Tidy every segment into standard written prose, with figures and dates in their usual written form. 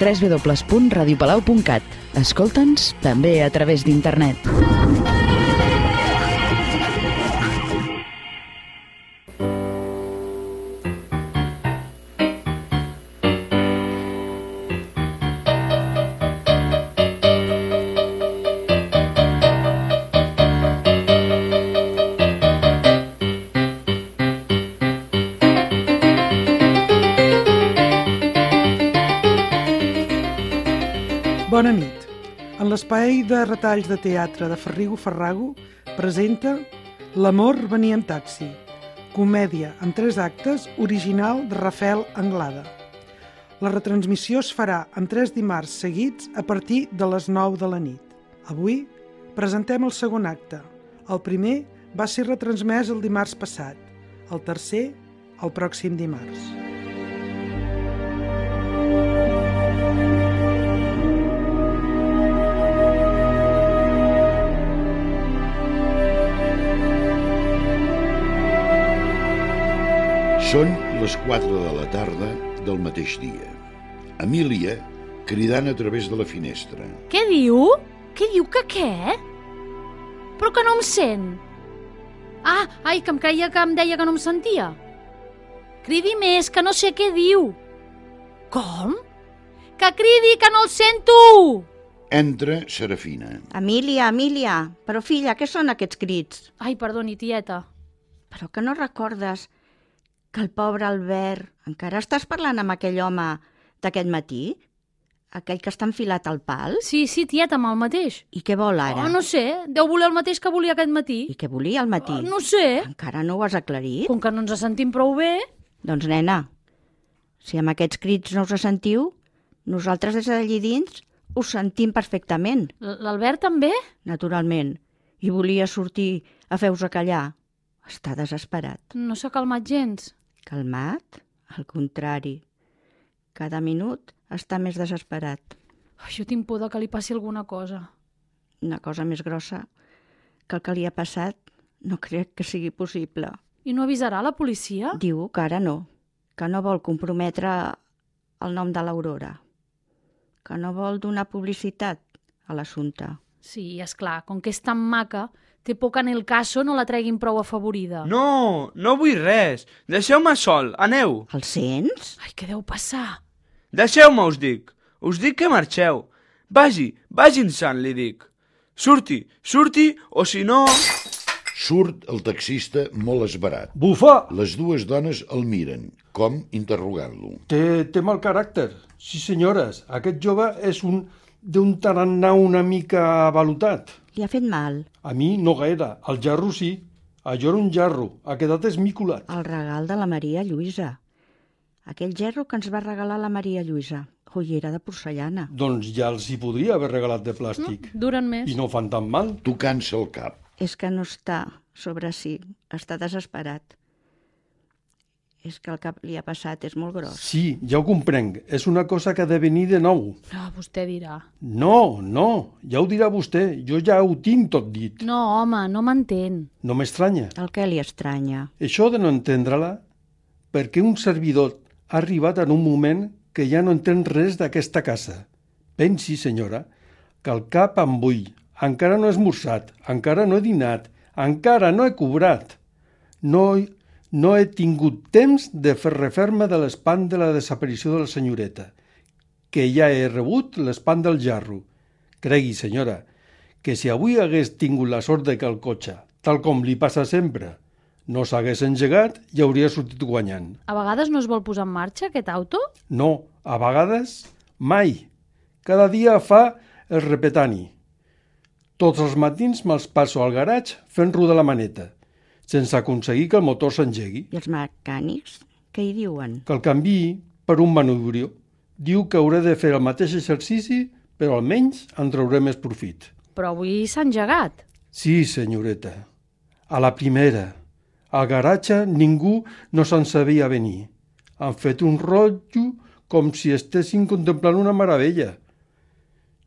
www.radiopalau.cat. Escolta'ns també a través d'internet. Bona nit. En l'espai de retalls de teatre de Ferrigo Ferrago presenta L'amor venia en taxi, comèdia en 3 actes original de Rafael Anglada. La retransmissió es farà en 3 dimarts seguits a partir de les 9 de la nit. Avui presentem el segon acte. El primer va ser retransmès el dimarts passat, el tercer el pròxim dimarts. Són les 4 de la tarda del mateix dia. Emília cridant a través de la finestra. Què diu? Què diu que què? Però que no em sent. Ai, que em creia que em deia que no em sentia. Cridi més, que no sé què diu. Com? Que cridi, que no el sento! Entra Serafina. Emília, però filla, què són aquests crits? Ai, perdoni, tieta. Però que no recordes que el pobre Albert... Encara estàs parlant amb aquell home d'aquest matí? Aquell que està enfilat al pal? Sí, tieta, amb el mateix. I què vol ara? No sé, deu voler el mateix que volia aquest matí. I què volia al matí? No sé. Encara no ho has aclarit? Com que no ens sentim prou bé... Doncs, nena, si amb aquests crits no us sentiu, nosaltres des d'allí dins us sentim perfectament. L'Albert també? Naturalment. I volia sortir a fer-vos callar. Està desesperat. No s'ha calmat gens. Calmat? Al contrari. Cada minut està més desesperat. Jo tinc por que li passi alguna cosa. Una cosa més grossa que el que li ha passat no crec que sigui possible. I no avisarà la policia? Diu que ara no, que no vol comprometre el nom de l'Aurora, que no vol donar publicitat a l'assumpte. Sí, és clar, com que és tan maca, té por que en el caso no la treguin prou afavorida. No vull res. Deixeu-me sol, aneu. El sents? Ai, què deu passar? Deixeu-me, us dic. Us dic que marxeu. Vagin-se'n, li dic. Surti, o si no... Surt el taxista molt esverat. Bufa! Les 2 dones el miren, com interrogant-lo. Té mal caràcter. Sí, senyores, aquest jove és d'un tarannà una mica avalotat. Li ha fet mal? A mi no gaire. Al jarro sí. Allò era un jarro. Ha quedat esmicolat. El regal de la Maria Lluïsa. Aquell gerro que ens va regalar la Maria Lluïsa. Joiera de porcellana. Doncs ja els hi podria haver regalat de plàstic. Duren més. I no fan tan mal. Tocant-se el cap. És que no està sobre si. Està desesperat. És que el que li ha passat és molt gros. Sí, ja ho comprenc. És una cosa que ha de venir de nou. Vostè dirà. No, ja ho dirà vostè. Jo ja ho tinc tot dit. No, home, no m'entén. No m'estranya. El que li estranya? Això de no entendre-la, perquè un servidor ha arribat en un moment que ja no entén res d'aquesta casa. Pensi, senyora, que el cap em bull. Encara no he esmorzat, encara no he dinat, encara no he cobrat. No he tingut temps de refer-me de l'espant de la desaparició de la senyoreta, que ja he rebut l'espant del jarro. Cregui, senyora, que si avui hagués tingut la sort de que el cotxe, tal com li passa sempre, no s'hagués engegat i hauria sortit guanyant. A vegades no es vol posar en marxa aquest auto? No, a vegades mai. Cada dia fa el repetani. Tots els matins me'ls passo al garatge fent rodar la maneta, sense aconseguir que el motor s'engegui. I els mecànics, què hi diuen? Que el canviï per un manubrio. Diu que hauré de fer el mateix exercici, però almenys en trauré més profit. Però avui s'ha engegat. Sí, senyoreta. A la primera. Al garatge ningú no se'n sabia venir. Han fet un rotllo com si estessin contemplant una meravella.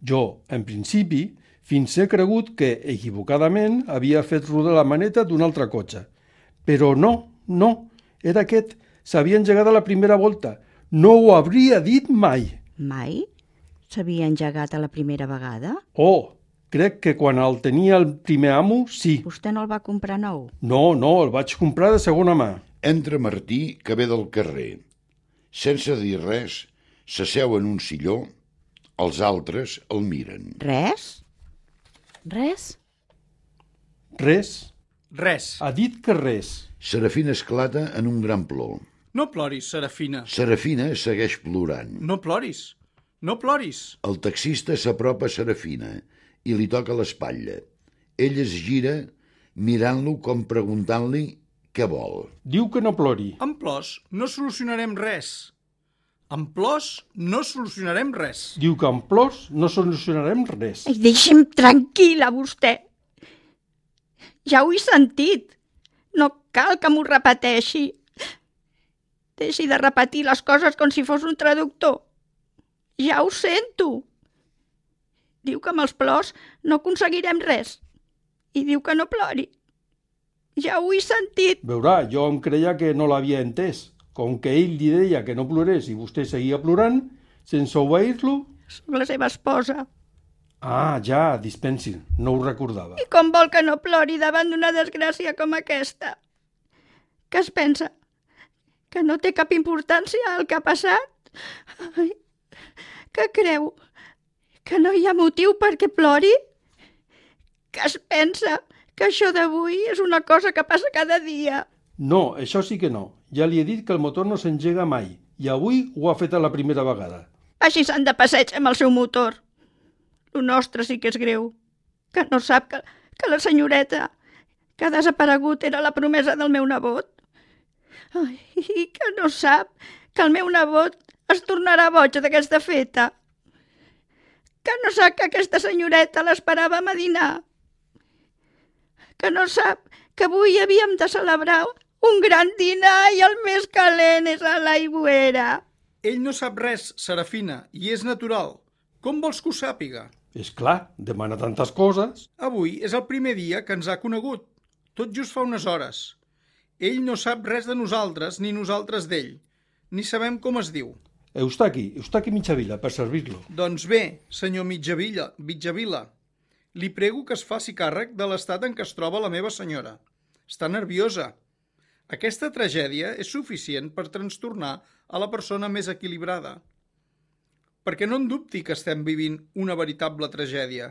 Jo, en principi, fins he cregut que, equivocadament, havia fet rodar la maneta d'un altre cotxe. Però no, era aquest. S'havia engegat a la primera volta. No ho hauria dit mai. Mai? s'havia engegat a la primera vegada? Oh, crec que quan el tenia el primer amo, sí. Vostè no el va comprar nou? No, el vaig comprar de segona mà. Entra Martí, que ve del carrer. Sense dir res, s'asseu en un silló, els altres el miren. Res? Res? Res? Res. Ha dit que res. Serafina esclata en un gran plor. No ploris, Serafina. Serafina segueix plorant. No ploris. No ploris. El taxista s'apropa a Serafina i li toca l'espatlla. Ell es gira mirant-lo com preguntant-li què vol. Diu que no plori. Amb plors no solucionarem res. Amb plors no solucionarem res. Diu que amb plors no solucionarem res. Ai, deixi'm tranquil·la, vostè. Ja ho he sentit. No cal que m'ho repeteixi. Deixi de repetir les coses com si fos un traductor. Ja ho sento. Diu que amb els plors no aconseguirem res. I diu que no plori. Ja ho he sentit. Veurà, jo em creia que no l'havia entès. Com que ell li deia que no plorés i vostè seguia plorant, sense obeir-lo... Soc la seva esposa. Ah, ja, dispensi, no ho recordava. I com vol que no plori davant d'una desgràcia com aquesta? Què es pensa? Que no té cap importància el que ha passat? Ai, què creu? Que no hi ha motiu perquè plori? Que es pensa que això d'avui és una cosa que passa cada dia? No, això sí que no. Ja li he dit que el motor no s'engega mai i avui ho ha fet a la primera vegada. Vagi-se'n de passeig amb el seu motor. Lo nostre sí que és greu. Que no sap que la senyoreta que ha desaparegut era la promesa del meu nebot. Ai, i que no sap que el meu nebot es tornarà boig d'aquesta feta. Que no sap que aquesta senyoreta l'esperàvem a dinar. Que no sap que avui havíem de celebrar un gran dinar i el més calent és a l'aigüera. Ell no sap res, Serafina, i és natural. Com vols que ho sàpiga? És clar, demana tantes coses. Avui és el primer dia que ens ha conegut, tot just fa unes hores. Ell no sap res de nosaltres ni nosaltres d'ell, ni sabem com es diu. Eustaqui Mitjavila, per servir-lo. Doncs bé, senyor Mitjavila, li prego que es faci càrrec de l'estat en què es troba la meva senyora. Està nerviosa. Aquesta tragèdia és suficient per trastornar a la persona més equilibrada. Perquè no en dubti que estem vivint una veritable tragèdia.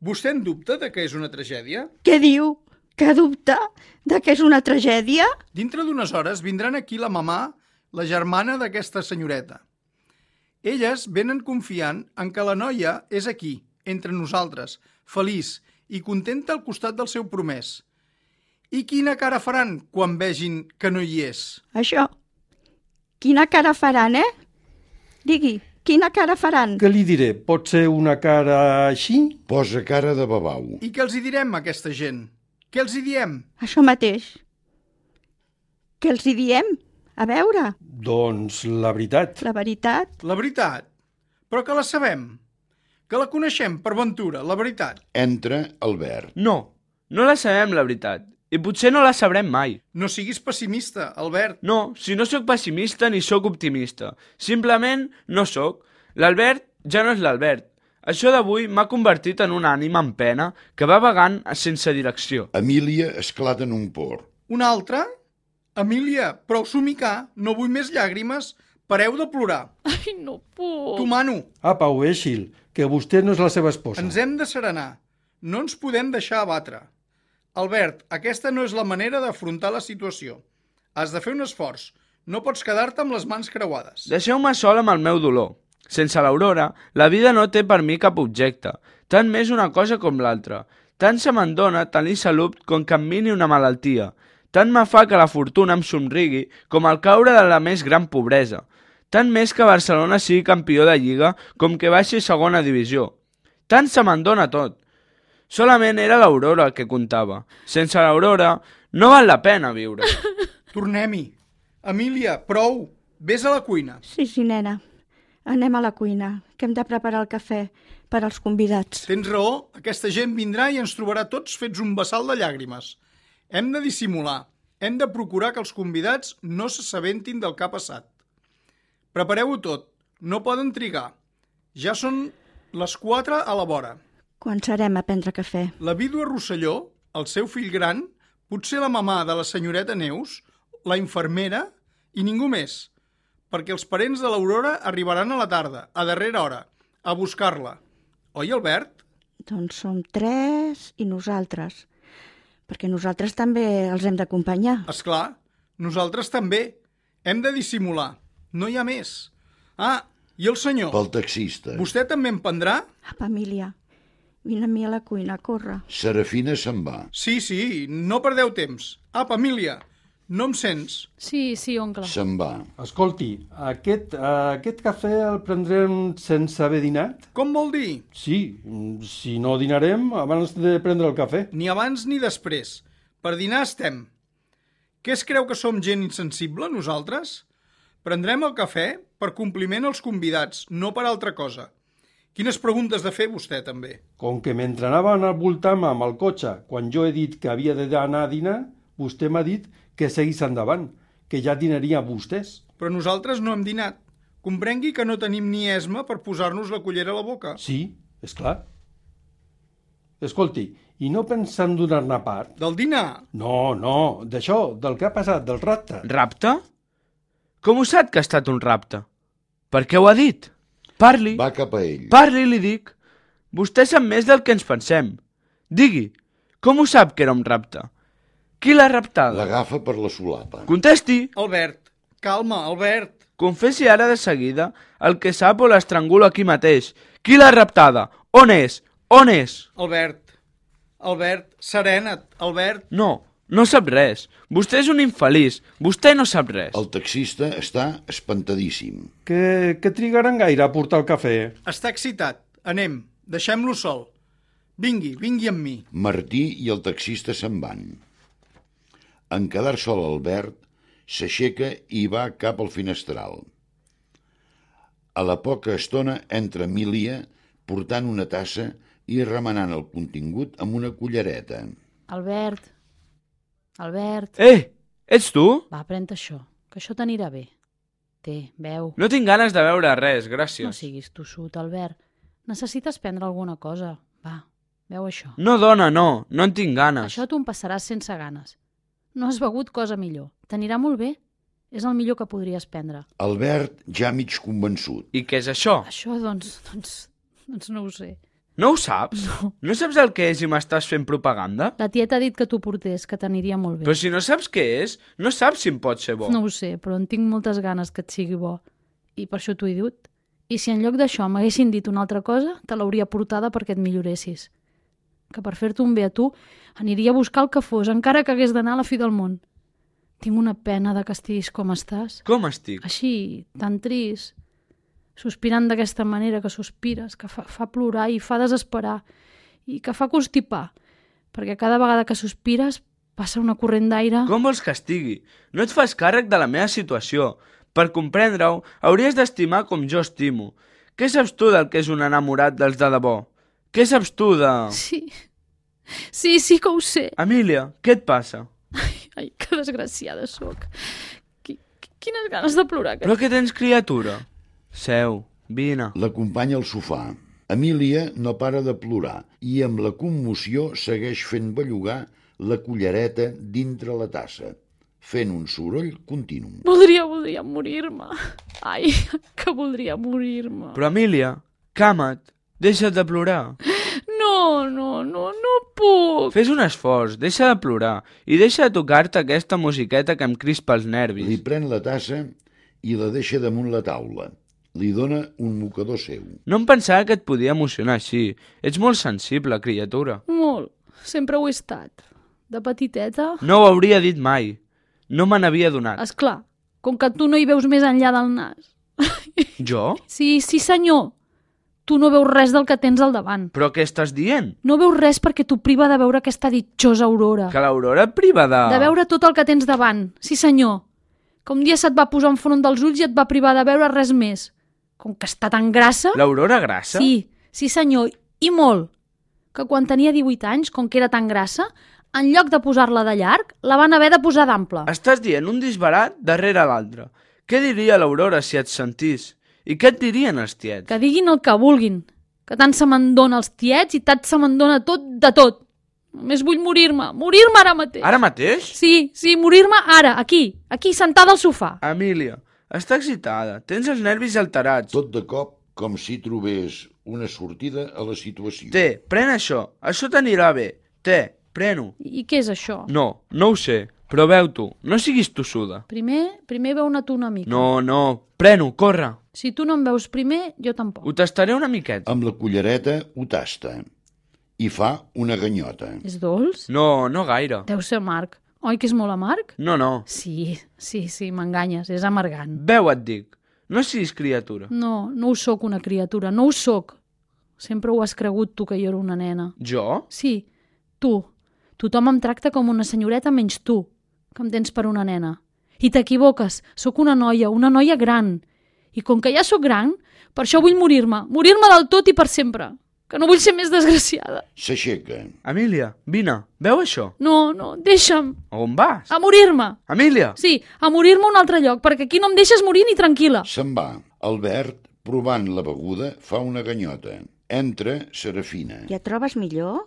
Vostè en dubta de que és una tragèdia? Què diu? Que dubta de que és una tragèdia? Dintre d'unes hores vindran aquí la mamà, la germana d'aquesta senyoreta. Elles venen confiant en que la noia és aquí, entre nosaltres, feliç i contenta al costat del seu promès. I quina cara faran quan vegin que no hi és? Això. Quina cara faran, Digui, quina cara faran? Què li diré? Pot ser una cara així? Posa cara de babau. I què els hi direm a aquesta gent? Què els hi diem? Això mateix. Què els hi diem? A veure. Doncs la veritat. La veritat? La veritat? Però que la sabem. Que la coneixem, per ventura, la veritat. Entra Albert. No la sabem, la veritat. I potser no la sabrem mai. No siguis pessimista, Albert. No, si no sóc pessimista ni sóc optimista. Simplement no sóc. L'Albert ja no és l'Albert. Això d'avui m'ha convertit en una ànima en pena que va vagant sense direcció. Emília esclata en un por. Una altra? Emília, prou somicar, no vull més llàgrimes, pareu de plorar. Ai, no puc. T'ho mano. Apa, oeixil, que vostè no és la seva esposa. Ens hem de serenar. No ens podem deixar abatre. Albert, aquesta no és la manera d'afrontar la situació. Has de fer un esforç. No pots quedar-te amb les mans creuades. Deixeu-me sol amb el meu dolor. Sense l'Aurora, la vida no té per mi cap objecte. Tant m'és una cosa com l'altra. Tant se me'n dona tenir salut com que em mini una malaltia. Tant me fa que la fortuna em somrigui com el caure de la més gran pobresa. Tant més que Barcelona sigui campió de Lliga com que baixi segona divisió. Tant se me'n dona tot. Solament era l'Aurora que comptava. Sense l'Aurora no val la pena viure. Tornem-hi. Emília, prou. Vés a la cuina. Sí, nena. Anem a la cuina, que hem de preparar el cafè per als convidats. Tens raó, aquesta gent vindrà i ens trobarà tots fets un vessal de llàgrimes. Hem de dissimular. Hem de procurar que els convidats no s'assabentin del que ha passat. Prepareu-ho tot. No poden trigar. Ja són les 4 a la vora. Quan serem a prendre cafè? La vídua Rosselló, el seu fill gran, potser la mamà de la senyoreta Neus, la infermera i ningú més, perquè els parents de l'Aurora arribaran a la tarda, a darrera hora, a buscar-la. Oi, Albert? Doncs som 3 i nosaltres, perquè nosaltres també els hem d'acompanyar. Esclar, nosaltres també. Hem de dissimular. No hi ha més. Ah, i el senyor? Pel taxista. Vostè també em prendrà? Apa, Emília, vine amb mi a la cuina, corre. Serafina se'n va. Sí, no perdeu temps. Apa, Emília, no em sents? Sí, oncle. Se'n va. Escolti, aquest cafè el prendrem sense haver dinat? Com vol dir? Sí, si no dinarem abans de prendre el cafè. Ni abans ni després. Per dinar estem. Què es creu que som gent insensible, nosaltres? Prendrem el cafè per compliment als convidats, no per altra cosa. Quines preguntes de fer vostè, també? Com que mentre anaven al voltant amb el cotxe, quan jo he dit que havia d'anar a dinar, vostè m'ha dit que seguís endavant, que ja dinaria vostès. Però nosaltres no hem dinat. Comprengui que no tenim ni esma per posar-nos la cullera a la boca. Sí, és clar. Escolti, i no pensant donar-ne part? Del dinar? No, d'això, del que ha passat, del rapte. Rapte? Com ho sap que ha estat un rapte? Per què ho ha dit? Parli. Va cap a ell. Parli, li dic. Vostè sap més del que ens pensem. Digui, com ho sap que era un rapte? Qui l'ha raptada? L'agafa per la solapa. Contesti. Albert, calma, Albert. Confessi ara de seguida el que sap o l'estrangulo aquí mateix. Qui l'ha raptada? On és? On és? Albert, serena't, Albert. No sap res. Vostè és un infeliç. Vostè no sap res. El taxista està espantadíssim. Que trigaran gaire a portar el cafè? Està excitat. Anem, deixem-lo sol. Vingui amb mi. Martí i el taxista se'n van. En quedar sol Albert, s'aixeca i va cap al finestral. A la poca estona entra Emília portant una tassa i remenant el contingut amb una cullereta. Albert. Ets tu? Va, pren això, que això t'anirà bé. Té, beu. No tinc ganes de beure res, gràcies. No siguis tossut, Albert. Necessites prendre alguna cosa. Va, beu això. No, dona, no en tinc ganes. Això t'ho passaràs sense ganes. No has begut cosa millor. T'anirà molt bé. És el millor que podries prendre. Albert ja mig convençut. I què és això? Això, doncs no ho sé. No ho saps? No. No saps el que és i m'estàs fent propaganda? La tieta ha dit que t'ho portés, que t'aniria molt bé. Però si no saps què és, no saps si em pot ser bo. No ho sé, però en tinc moltes ganes que et sigui bo. I per això t'ho he dit. I si en lloc d'això m'haguessin dit una altra cosa, te l'hauria portada perquè et milloressis. Que per fer-te un bé a tu, aniria a buscar el que fos, encara que hagués d'anar a la fi del món. Tinc una pena de que estiguis com estàs. Com estic? Així, tan trist. Sospirant d'aquesta manera que sospires, que fa plorar i fa desesperar, i que fa constipar, perquè cada vegada que sospires passa una corrent d'aire... Com vols que estigui? No et fas càrrec de la meva situació. Per comprendre-ho, hauries d'estimar com jo estimo. Què saps tu del que és un enamorat dels de debò? Què saps tu de... Sí que ho sé. Emília, què et passa? Ai, que desgraciada sóc. Quines ganes de plorar. Però què tens, criatura? Seu, vine. L'acompanya al sofà. Emília no para de plorar i amb la commoció segueix fent bellugar la cullereta dintre la tassa, fent un soroll continu. Voldria morir-me. Ai, que voldria morir-me. Però Emília, cama't, deixa't de plorar. No puc. Fes un esforç, deixa de plorar i deixa de tocar-te aquesta musiqueta que em crispa els nervis. Li pren la tassa i la deixa damunt la taula. Li dona un mocador seu. No em pensava que et podia emocionar així. Ets molt sensible, criatura. Molt. Sempre ho he estat. De petiteta... No ho hauria dit mai. No me n'havia donat. Esclar, com que tu no hi veus més enllà del nas. Jo? Sí, senyor. Tu no veus res del que tens al davant. Però què estàs dient? No veus res perquè t'ho priva de veure aquesta ditjosa aurora. Que l'aurora et priva de... De veure tot el que tens davant. Sí, senyor. Que un dia se't va posar enfront dels ulls i et va privar de veure res més. Com que està tan grassa... L'aurora grassa? Sí senyor, i molt. Que quan tenia 18 anys, com que era tan grassa, en lloc de posar-la de llarg, la van haver de posar d'ample. Estàs dient un disbarat darrere l'altre. Què diria l'aurora si et sentís? I què et dirien els tiets? Que diguin el que vulguin, que tant se me'n dona els tiets i tant se me'n dona tot de tot. Només vull morir-me ara mateix. Ara mateix? Sí, morir-me ara, aquí, sentada al sofà. Emília, està excitada, tens els nervis alterats. Tot de cop, com si trobés una sortida a la situació. Té, pren això t'anirà bé. Té, pren-ho. I què és això? No ho sé, però veu tu, no siguis tossuda. Primer veu-ne tu una mica. No, pren-ho, corre. Si tu no em veus primer, jo tampoc. Ho tastaré una miqueta. Amb la cullereta ho tasta i fa una ganyota. És dolç? No gaire. Deu ser amarg. Oi que és molt amarg? No. Sí, m'enganyes, és amargant. Veu, et dic, no siguis criatura. No ho sóc una criatura, no ho sóc. Sempre ho has cregut tu, que jo era una nena. Jo? Sí, tu. Tothom em tracta com una senyoreta menys tu, que em tens per una nena. I t'equivoques, sóc una noia gran. I com que ja sóc gran, per això vull morir-me del tot i per sempre, que no vull ser més desgraciada. S'aixeca. Emília, vine, veu això? No, deixa'm. A on vas? A morir-me. Emília! Sí, a morir-me a un altre lloc, perquè aquí no em deixes morir ni tranquil·la. Se'n va. Albert, provant la beguda, fa una ganyota. Entra Serafina. Ja et trobes millor?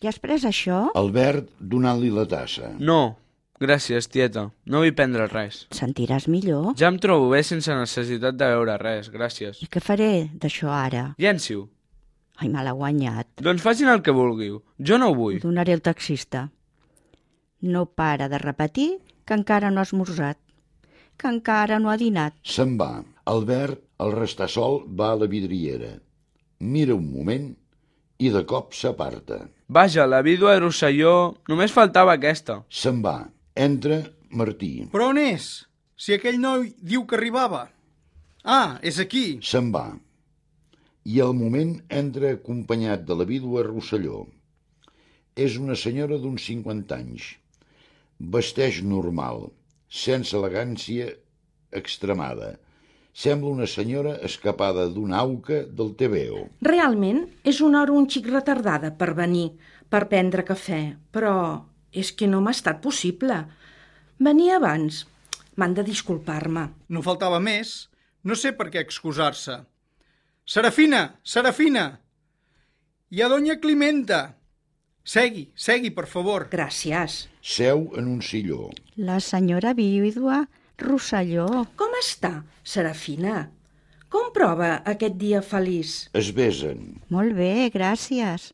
Ja has pres això? Albert donant-li la tassa. No, gràcies, tieta. No vull prendre res. Et sentiràs millor? Ja em trobo bé sense necessitat de beure res, gràcies. I què faré d'això ara? Llenci-ho. Ai, me l'ha guanyat. Doncs facin el que vulguiu. Jo no ho vull. Ho donaré al taxista. No para de repetir que encara no ha esmorzat, que encara no ha dinat. Se'n va. Albert, al restar sol, va a la vidriera. Mira un moment i de cop s'aparta. Vaja, la vídua de Rosselló, només faltava aquesta. Se'n va. Entra Martí. Però on és? Si aquell noi diu que arribava. Ah, és aquí. Se'n va. I al moment entra acompanyat de la vídua Rosselló. És una senyora d'uns 50 anys. Vesteix normal, sense elegància extremada. Sembla una senyora escapada d'una auca del TVO. Realment és una hora un xic retardada per venir, per prendre cafè, però és que no m'ha estat possible. Venir abans. M'han de disculpar-me. No faltava més. No sé per què excusar-se. Serafina! Hi ha doña Climenta! Segui, per favor. Gràcies. Seu en un silló. La senyora vídua Rosselló. Com està, Serafina? Com prova aquest dia feliç? Es besen. Molt bé, gràcies.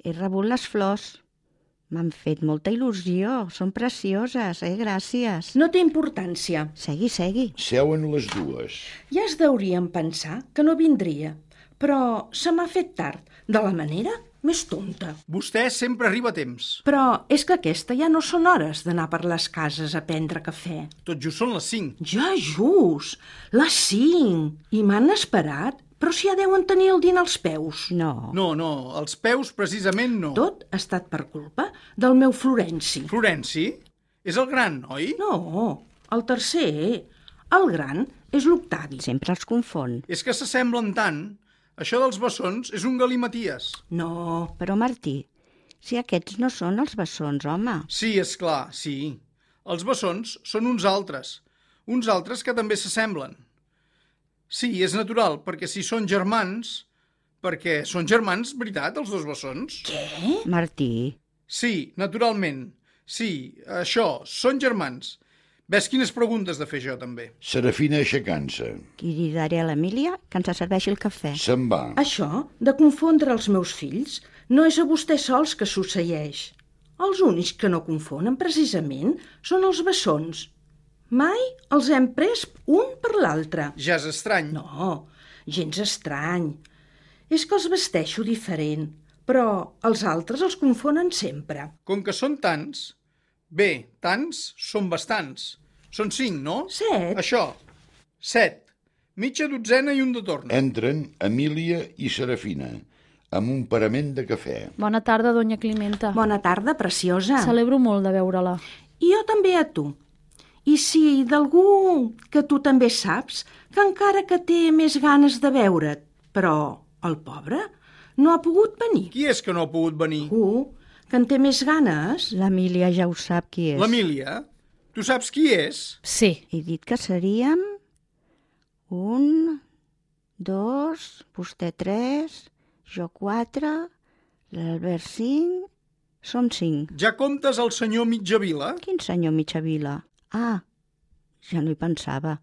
He rebut les flors. M'han fet molta il·lusió. Són precioses, gràcies. No té importància. Segui. Seuen les dues. Ja es deurien pensar que no vindria, però se m'ha fet tard, de la manera més tonta. Vostè sempre arriba a temps. Però és que aquesta ja no són hores d'anar per les cases a prendre cafè. Tot just són les 5. Ja just, les 5. I m'han esperat, però si ja deuen tenir el dinar als peus. No, als peus precisament no. Tot ha estat per culpa del meu Florenci. Florenci? És el gran, oi? No, el tercer. El gran és l'Octavi. sempre els confon. És que s'assemblen tant. Això dels bessons és un galimaties. No, Però, Martí, si aquests no són els bessons, home. Sí, és clar, sí. Els bessons són uns altres que també s'assemblen. Sí, és natural, perquè si són germans... Perquè són germans, veritat, els dos bessons? què? Martí, Sí, naturalment. Sí, això, són germans. Ves quines preguntes de fer jo, també. Serafina aixecant-se. cridaré a l'Emília que ens serveixi el cafè. Se'n va. Això, de confondre els meus fills, no és a vostè sols que succeeix. Els únics que no confonen, precisament, són els bessons. Mai els hem pres un per l'altre. Ja és estrany. No, gens estrany. És que els vesteixo diferent, però els altres els confonen sempre. Com que són tants... Bé, tants són bastants. Són 5, no? 7. Això, 7. Mitja dotzena i un de torn. Entren Emília i Serafina, amb un parament de cafè. Bona tarda, doña Climenta. Bona tarda, preciosa. Celebro molt de veure-la. I jo també a tu. I si d'algú que tu també saps que encara que té més ganes de veure't, però el pobre no ha pogut venir. Qui és que no ha pogut venir? Que en té més ganes? L'Emília ja ho sap qui és. L'Emília? Tu saps qui és? Sí. He dit que seríem 1, 2, vostè 3, jo 4, l'Albert 5... Som 5. Ja comptes el senyor Mitjavila? Quin senyor Mitjavila? Ah, ja no hi pensava.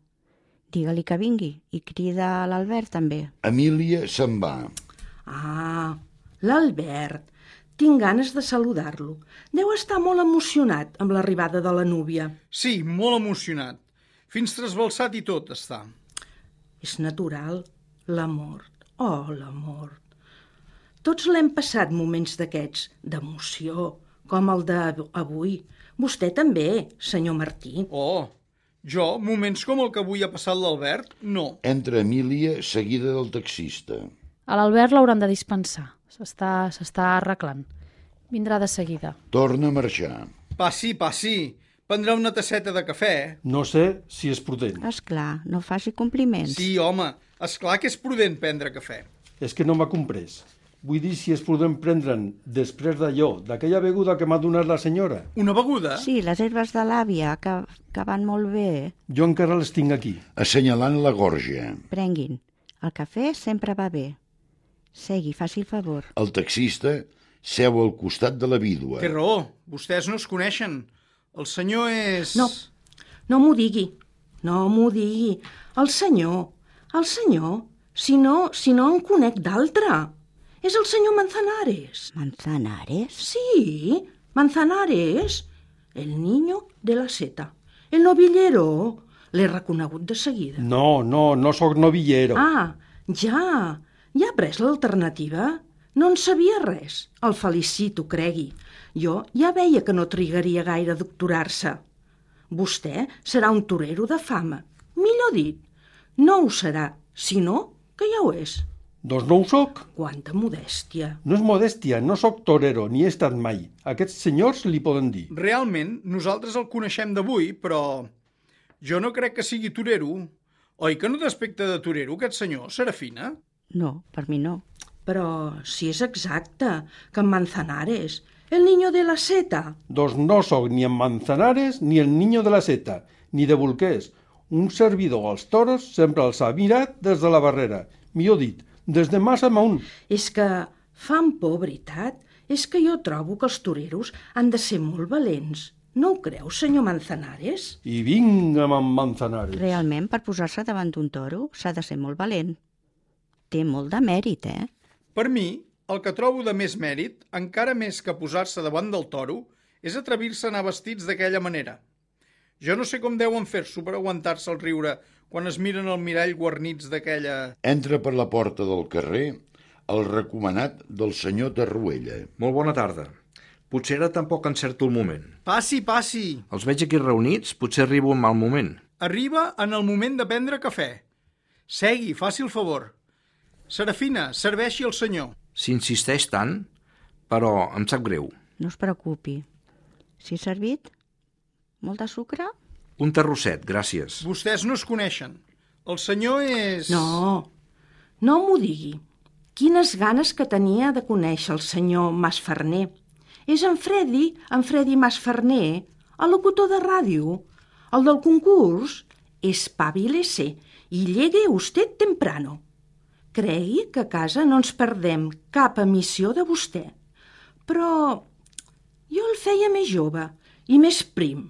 Digue-li que vingui i crida l'Albert també. Emília se'n va. Ah, l'Albert. Tinc ganes de saludar-lo. Deu estar molt emocionat amb l'arribada de la núvia. Sí, molt emocionat. Fins trasbalsat i tot està. És natural, la mort. Oh, la mort. Tots l'hem passat moments d'aquests, d'emoció, com el d'avui. Vostè també, senyor Martí. Oh, jo, moments com el que avui ha passat l'Albert, no. Entra Emília, seguida del taxista. A l'Albert l'hauran de dispensar. S'està arreglant. Vindrà de seguida. Torna a marxar. Passi, passi. Prendrà una tasseta de cafè. No sé si és prudent. Esclar, no faci compliments. Sí, home, esclar que és prudent prendre cafè. És que no m'ha comprès. Vull dir si és prudent prendre'n després d'allò, d'aquella beguda que m'ha donat la senyora. Una beguda? Sí, les herbes de l'àvia, que van molt bé. Jo encara les tinc aquí. Assenyalant la gorja. Prenguin. El cafè sempre va bé. Segui, faci el favor. El taxista seu al costat de la vídua. Té raó, vostès no es coneixen. El senyor és... No, no m'ho digui. No m'ho digui. El senyor, si no en conec d'altre. És el senyor Manzanares. Manzanares? Sí, Manzanares. El niño de la seta. El novillero. L'he reconegut de seguida. No sóc novillero. Ah, ja. Ja ha pres l'alternativa? No en sabia res. El felicito, cregui. Jo ja veia que no trigaria gaire a doctorar-se. Vostè serà un torero de fama. Millor dit, no ho serà, sinó que ja ho és. Doncs no ho soc. Quanta modèstia. No és modèstia, no sóc torero, ni he estat mai. Aquests senyors li poden dir. Realment, nosaltres el coneixem d'avui, però jo no crec que sigui torero. Oi que no té aspecte de torero, aquest senyor, Serafina? No, per mi no. Però si és exacte, que en Manzanares, el niño de la seta. Doncs no sóc ni en Manzanares ni el niño de la seta, ni de bolquers. Un servidor als toros sempre els ha mirat des de la barrera. Millor dit, des de massa amunt. És que fan por, veritat? És que jo trobo que els toreros han de ser molt valents. No ho creu, senyor Manzanares? I vinga amb en Manzanares. Realment, per posar-se davant d'un toro s'ha de ser molt valent. Té molt de mèrit, eh? Per mi, el que trobo de més mèrit, encara més que posar-se davant del toro, és atrevir-se a anar vestits d'aquella manera. Jo no sé com deuen fer-s'ho per aguantar-se el riure quan es miren al mirall guarnits d'aquella... Entra per la porta del carrer el recomanat del senyor Tarruella. Molt bona tarda. Potser ara tampoc encerto el moment. Passi, passi. Els veig aquí reunits, potser arribo en mal moment. Arriba en el moment de prendre cafè. Segui, faci el favor. Serafina, serveixi el senyor. S'insisteix tant, però em sap greu. No es preocupi. Si ha servit? Molt de sucre? Un terrosset, gràcies. Vostès no es coneixen. El senyor és... No m'ho digui. Quines ganes que tenia de conèixer el senyor Masferner. És en Freddy Masferner, el locutor de ràdio, el del concurs. Espabilese i llegue usted temprano. Cregui que a casa no ens perdem cap emissió de vostè. Però jo el feia més jove i més prim.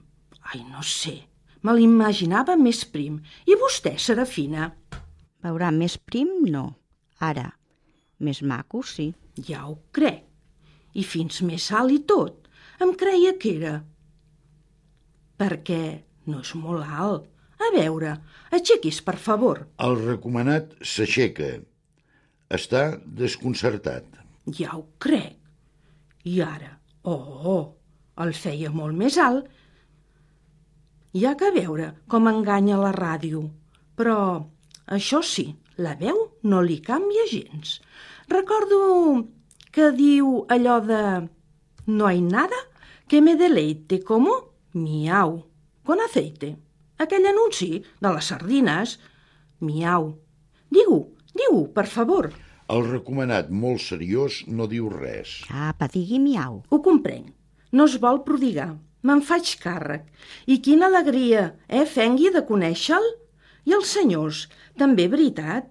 Ai, no sé, me l'imaginava més prim. I vostè, Serafina? Veurà, més prim no. Ara, més maco sí. Ja ho crec. I fins més alt i tot. Em creia que era. Perquè no és molt alt. A veure, aixequis, per favor. El recomanat s'aixeca. Està desconcertat. Ja ho crec. I ara, el feia molt més alt. Hi ha que veure com enganya la ràdio. Però, això sí, la veu no li canvia gens. Recordo que diu allò de «No hay nada que me deleite como miau con aceite». Aquell anunci de les sardines, miau. Diu, per favor. El recomanat, molt seriós, no diu res. Apa, digui miau. Ho comprenc. No es vol prodigar. Me'n faig càrrec. I quina alegria, Fengui, de conèixer-lo? I els senyors, també veritat.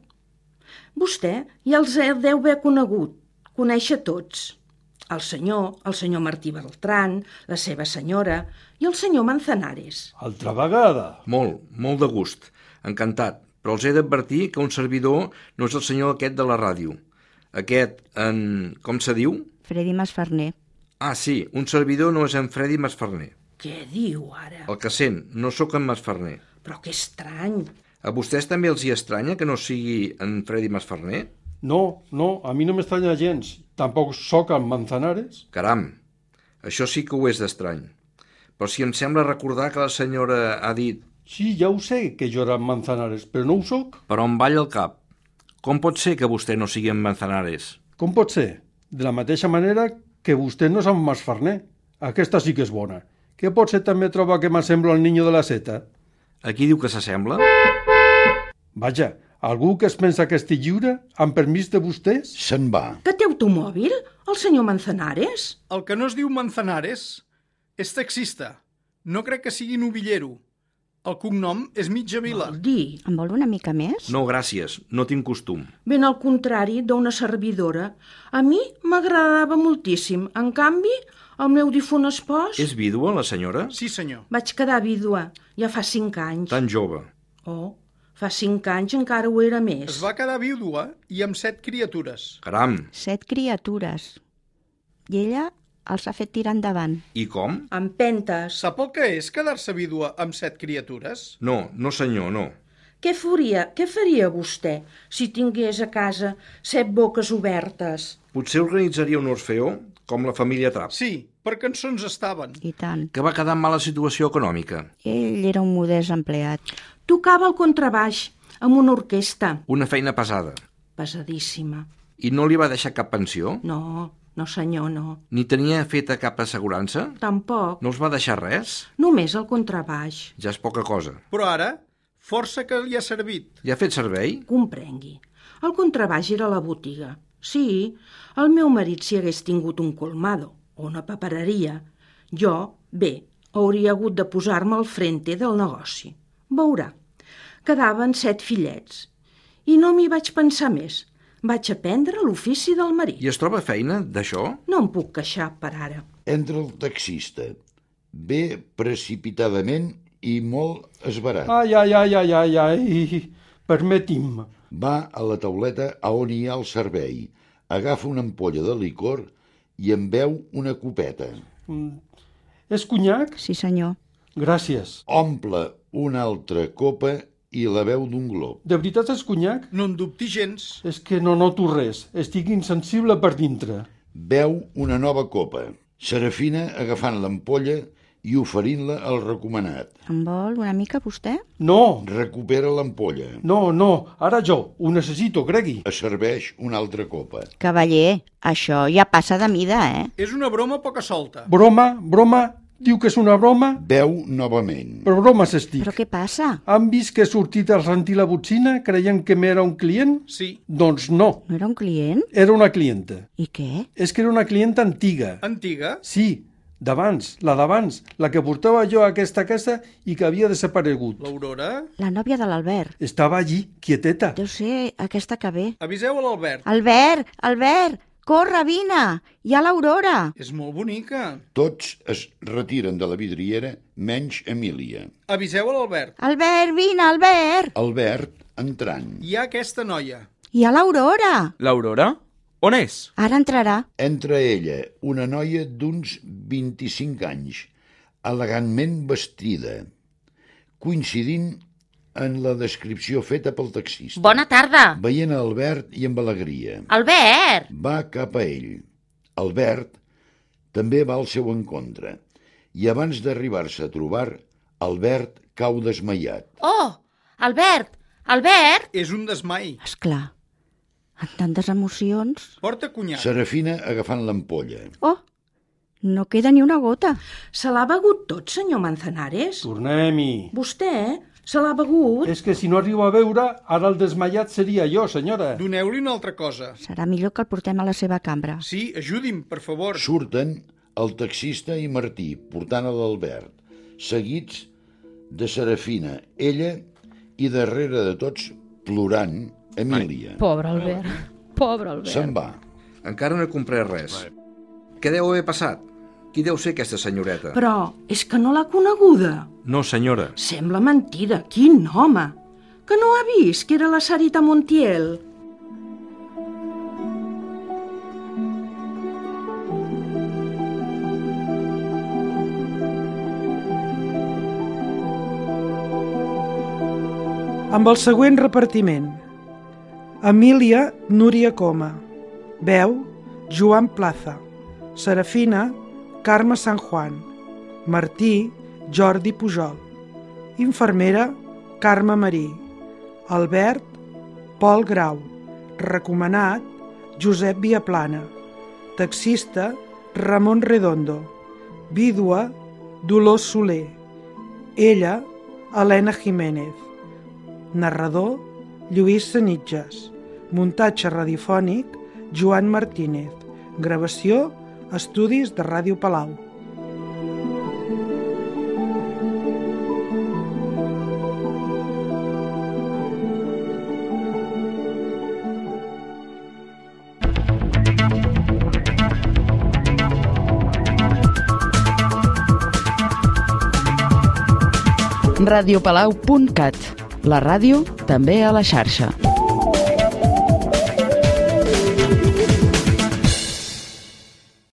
Vostè ja els deu haver conegut, conèixer tots. El senyor Martí Beltrán, la seva senyora i el senyor Manzanares. Altra vegada. Molt de gust. Encantat. Però els he d'advertir que un servidor no és el senyor aquest de la ràdio. Aquest, com se diu? Freddy Masferner. Ah, sí, un servidor no és en Freddy Masferner. Què diu ara? El que sent, no sóc en Masferner. Però que estrany. A vostès també els hi estranya que no sigui en Freddy Masferner? No, a mi no m'estranya gens. Tampoc sóc en Manzanares. Caram, això sí que ho és d'estrany. Però si em sembla recordar que la senyora ha dit... Sí, ja ho sé que jo era en Manzanares, però no ho sóc. Però em balla el cap. Com pot ser que vostè no sigui en Manzanares? Com pot ser? De la mateixa manera que vostè no és en Masferner. Aquesta sí que és bona. Què pot ser també trobar que m'assemblo al niño de la seta? A qui diu que s'assembla? Vaja, algú que es pensa que estic lliure, amb permís de vostès? Se'n va. Que té automòbil, el senyor Manzanares? El que no es diu Manzanares és taxista. No crec que sigui novillero. El cognom és Mitjavila. Vol dir? En vol una mica més? No, gràcies, no tinc costum. Ben al contrari d'una servidora. A mi m'agradava moltíssim. En canvi, el meu difunt espòs... És vídua, la senyora? Sí, senyor. Vaig quedar vídua, ja fa 5 anys. Tan jove. Oh, fa 5 anys encara ho era més. Es va quedar vídua i amb 7 criatures. Caram, 7 criatures. I ella els ha fet tirar endavant. i com? Amb pentes. Sap el que és quedar-se vídua amb 7 criatures? No senyor, no. Què faria vostè si tingués a casa 7 boques obertes? Potser organitzaria un orfeó, com la família Trapp, Sí, per cançons estaven. I tant. que va quedar en mala situació econòmica. Ell era un modest empleat. Tocava el contrabaix amb una orquestra. Una feina pesada. Pesadíssima. I no li va deixar cap pensió? No senyor, no. Ni tenia feta cap assegurança? Tampoc. No els va deixar res? Només el contrabaix. Ja és poca cosa. Però ara, força que li ha servit. Ja ha fet servei? Comprengui. El contrabaix era a la botiga. Sí, el meu marit si hagués tingut un colmado o una papereria. Jo, hauria hagut de posar-me al frente del negoci. Veurà. Quedaven 7 fillets. I no m'hi vaig pensar més. Vaig aprendre l'ofici del marit. I es troba feina d'això? No em puc queixar per ara. Entra el taxista. Ve precipitadament i molt esverat. Ai, permeti'm. Va a la tauleta a on hi ha el servei. Agafa una ampolla de licor i en beu una copeta. És conyac? Sí, senyor. Gràcies. Omple una altra copa i la beu d'un glob. De veritat és conyac? No en dubti gens. És que no noto res. Estic insensible per dintre. Beu una nova copa. Serafina agafant l'ampolla i oferint-la al recomanat. En vol una mica vostè? No, Recupera l'ampolla. no, ara jo. Ho necessito, cregui. Es serveix una altra copa. Cavaller, això ja passa de mida, És una broma poca solta. Broma? Diu que és una broma? Beu novament. Però bromes estic. Però què passa? Han vist que he sortit a rentir la botzina creient que m'era un client? Sí. Doncs no, No era un client? era una clienta. I què? És que era una clienta antiga. Antiga? Sí, d'abans, la que portava jo a aquesta casa i que havia desaparegut. L'Aurora? La nòvia de l'Albert. Estava allí, quieteta. Deu ser aquesta que ve. Aviseu a l'Albert. Albert! Corre, vine! Hi ha l'Aurora! És molt bonica. Tots es retiren de la vidriera, menys Emília. Aviseu a l'Albert. Albert, vine, Albert! Albert, entrant. Hi ha aquesta noia. Hi ha l'Aurora! L'Aurora? On és? Ara entrarà. Entra ella, una noia d'uns 25 anys, elegantment vestida, coincidint en la descripció feta pel taxista. Bona tarda. Veient a Albert i amb alegria. Albert! Va cap a ell. Albert també va al seu encontre. I abans d'arribar-se a trobar, Albert cau desmaiat. Oh, Albert! Albert! És un desmai. Esclar, amb tantes emocions... Porta conyac. Serafina agafant l'ampolla. Oh, no queda ni una gota. Se l'ha begut tot, senyor Manzanares? Tornem-hi. Vostè, se l'ha begut? És que si no arribo a veure, ara el desmaiat seria jo, senyora. Doneu-li una altra cosa. Serà millor que el portem a la seva cambra. Sí, ajudi'm, per favor. Surten el taxista i Martí, portant a l'Albert, seguits de Serafina, ella i darrere de tots, plorant, Emília. Pobre Albert, pobre Albert. Se'n va. Encara no he comprès res. Què deu haver passat? Qui deu ser aquesta senyoreta? Però és que no l'ha coneguda. No, senyora. Sembla mentira. Quin home! Que no ha vist que era la Sarita Montiel? Amb el següent repartiment. Emília Núria Coma. Veu Joan Plaza. Serafina Carme San Juan. Martí Jordi Pujol. Infermera Carme Marí. Albert Pol Grau. Recomanat Josep Viaplana. Taxista Ramon Redondo. Vídua Dolors Soler. Ella Helena Jiménez. Narrador Lluís Sanitges. Muntatge radiofònic Joan Martínez. Gravació Estudis de Ràdio Palau. radiopalau.cat. La ràdio també a la xarxa.